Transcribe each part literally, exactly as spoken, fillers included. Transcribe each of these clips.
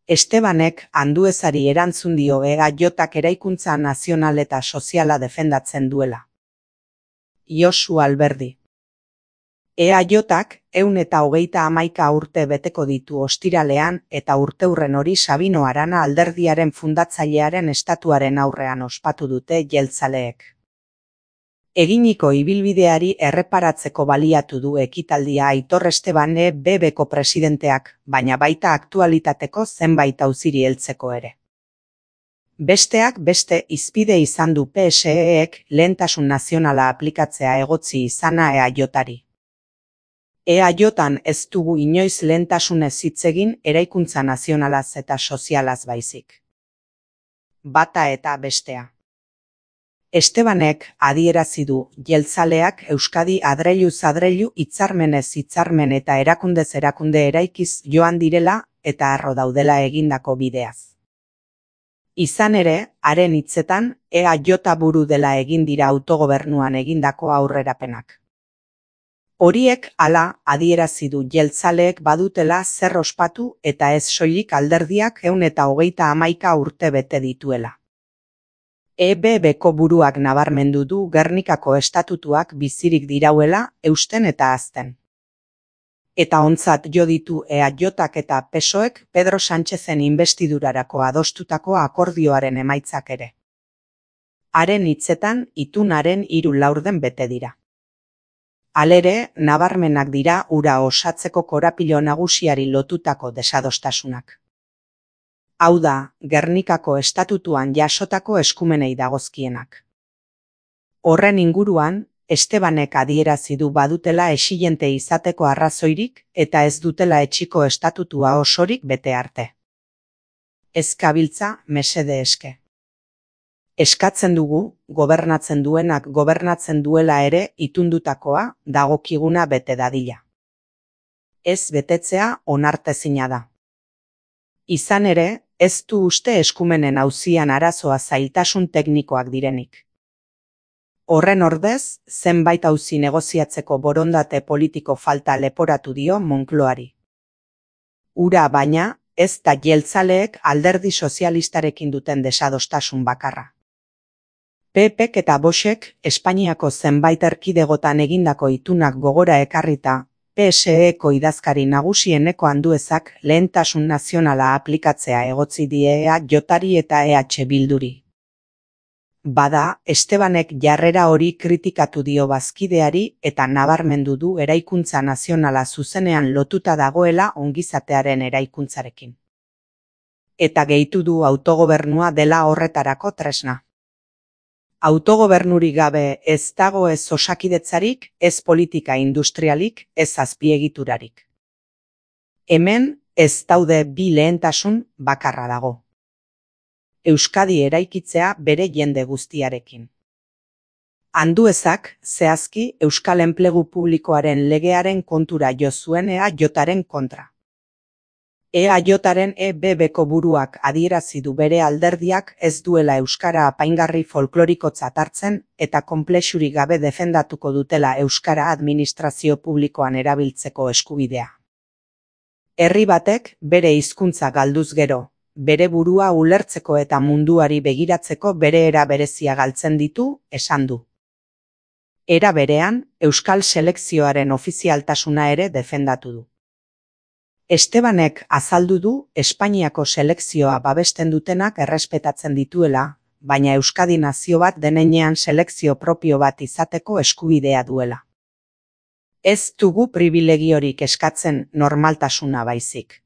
Estebanek Anduezari erantzun dio E A Jak eraikuntza nazional eta soziala defendatzen duela. Josu Alberdi. E A Jak ehun eta hogeita hamaika urte beteko ditu ostiralean eta urteurren hori Sabino Arana alderdiaren fundatzailearen estatuaren aurrean ospatu dute jeltzaleek. Eginiko ibilbideari erreparatzeko baliatu du ekitaldia Aitor Esteban E B Bko presidenteak, baina baita aktualitateko zenbait auziri heltzeko ere. Besteak beste hizpide izan du P S Ek lehentasun nazionala aplikatzea egotzi izana E A Jari. E A Jan ez dugu inoiz lehentasunez hitz egin eraikuntza nazionalaz eta sozialaz baizik. Bata eta bestea. Estebanek adierazi du jeltzaleak Euskadi adreiluz adreilu hitzarmenez hitzarmen eta erakundez erakunde eraikiz joan direla eta harro daudela egindako bideaz. Izan ere, haren hitzetan, E A J buru dela egin dira autogobernuan egindako aurrerapenak. Horiek hala adierazi du jeltzaleek badutela zer ospatu eta ez soilik alderdiak ehun eta hogeita hamaika urte bete dituela. E B Bko buruak nabarmendu du Gernikako estatutuak bizirik dirauela eusten eta hazten. Eta ontzat jo ditu E A Jak eta P S Oek Pedro Sánchezen inbestidurarako adostutako akordioaren emaitzak ere. Haren hitzetan itunaren hiru laurden bete dira. Halere, nabarmenak dira hura osatzeko korapilo nagusiari lotutako desadostasunak. Hau da, Gernikako estatutuan jasotako eskumenei dagozkienak. Horren inguruan, Estebanek adierazi du badutela exigente izateko arrazoirik eta ez dutela etxiko estatutua osorik bete arte. Ez gabiltza mesede eske. Eskatzen dugu, gobernatzen duenak gobernatzen duela ere itundutakoa dagokiguna bete dadila. Ez betetzea onartezina da. Izan ere, ez du uste eskumenen auzian arazoa zailtasun teknikoak direnik. Horren ordez, zenbait auzi negoziatzeko borondate politiko falta leporatu dio Moncloari. Ura baina, ez da jeltzaleek alderdi sozialistarekin duten desadostasun bakarra. P Pk eta Voxek Espainiako zenbait erkidegotan egindako itunak gogora ekarrita, P S Eko idazkari nagusieneko Anduezak lehentasun nazionala aplikatzea egotzi die E A Jari eta E H Bilduri. Bada, Estebanek jarrera hori kritikatu dio bazkideari eta nabarmendu du eraikuntza nazionala zuzenean lotuta dagoela ongizatearen eraikuntzarekin. Eta gehitu du autogobernua dela horretarako tresna. Autogobernurik gabe ez dago ez osakidetzarik, ez politika industrialik, ez azpiegiturarik. Hemen ez daude bi lehentasun bakarra dago. Euskadi eraikitzea bere jende guztiarekin. Anduezak, zehazki, Euskal Enplegu Publikoaren legearen kontura jo zuen E A Jaren kontra. E A Jaren E B Bko buruak adierazi du bere alderdiak ez duela euskara apaingarri folklorikotzat hartzen eta konplexurik gabe defendatuko dutela euskara administrazio publikoan erabiltzeko eskubidea. Herri batek bere hizkuntza galduz gero, bere burua ulertzeko eta munduari begiratzeko bere era berezia galtzen ditu, esan du. Era berean, euskal selekzioaren ofizialtasuna ere defendatu du. Estebanek azaldu du Espainiako selekzioa babesten dutenak errespetatzen dituela, baina Euskadi nazio bat denean selekzio propio bat izateko eskubidea duela. Ez dugu pribilegiorik eskatzen normaltasuna baizik.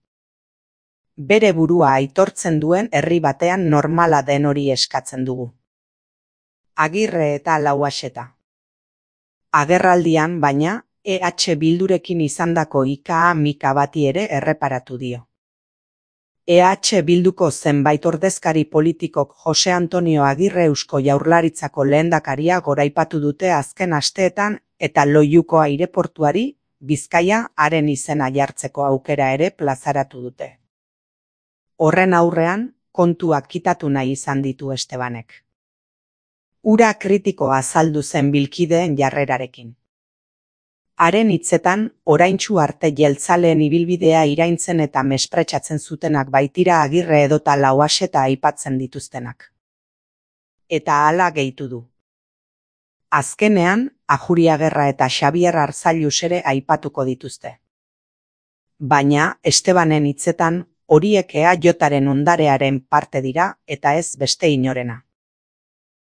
Bere burua aitortzen duen herri batean normala den hori eskatzen dugu. Agirre eta Lauaxeta. Agerraldian baina, E H Bildurekin izandako ika mika bati ere erreparatu dio. E H Bilduko zenbait ordezkari politikok Jose Antonio Agirre Eusko Jaurlaritzako lehendakaria goraipatu dute azken asteetan eta Loiuko aireportuari Bizkaia haren izena jartzeko aukera ere plazaratu dute. Horren aurrean, kontuak kitatu nahi izan ditu Estebanek. Ura kritiko azaldu zen bilkideen jarrerarekin. Haren hitzetan, oraintsu arte jeltzaleen ibilbidea iraintzen eta mespretxatzen zutenak baitira Agirre edota Lauaxeta aipatzen dituztenak. Eta hala gehitu du. Azkenean, Ajuriagerra eta Xabier Arzailuz ere aipatuko dituzte. Baina, Estebanen hitzetan, horiek E A Jaren ondarearen parte dira eta ez beste inorena.